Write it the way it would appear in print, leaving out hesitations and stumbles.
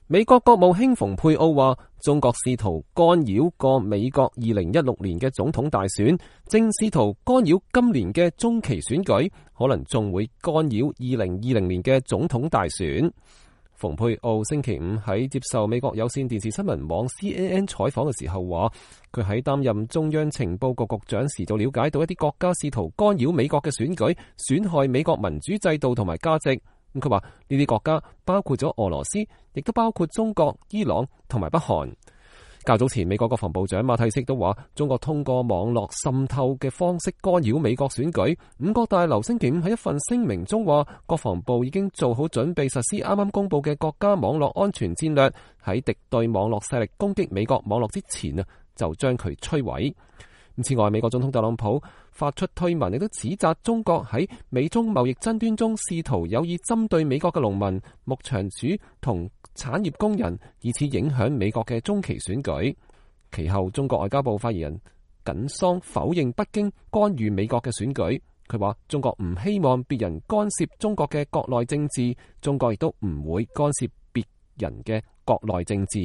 美國國務卿蓬佩奧話，中國試圖干擾過美國2016年嘅總統大選，正試圖干擾今年嘅中期選舉，可能仲會干擾2020年嘅總統大選。蓬佩奧星期五喺接受美國有線電視新聞網 CNN 採訪嘅時候話，佢喺擔任中央情報局局長時就了解到一啲國家試圖干擾美國嘅選舉，損害美國民主制度同埋價值。佢話呢啲國家包括咗俄羅斯，亦都包括中國、伊朗同埋北韓。較早前，美國國防部長馬蒂斯都話，中國通過網絡滲透嘅方式干擾美國選舉。五角大樓星期五喺一份聲明中話，國防部已經做好準備實施啱啱公布嘅國家網絡安全戰略，喺敵對網絡勢力攻擊美國網絡之前就將佢摧毀。此外，美國總統特朗普發出推文，亦都指責中國喺美中貿易爭端中試圖有意針對美國嘅農民、牧場主同產業工人，以此影響美國嘅中期選舉。其後，中國外交部發言人耿桑否認北京干預美國嘅選舉。佢話中國唔希望別人干涉中國嘅國內政治，中國亦都唔會干涉別人嘅國內政治。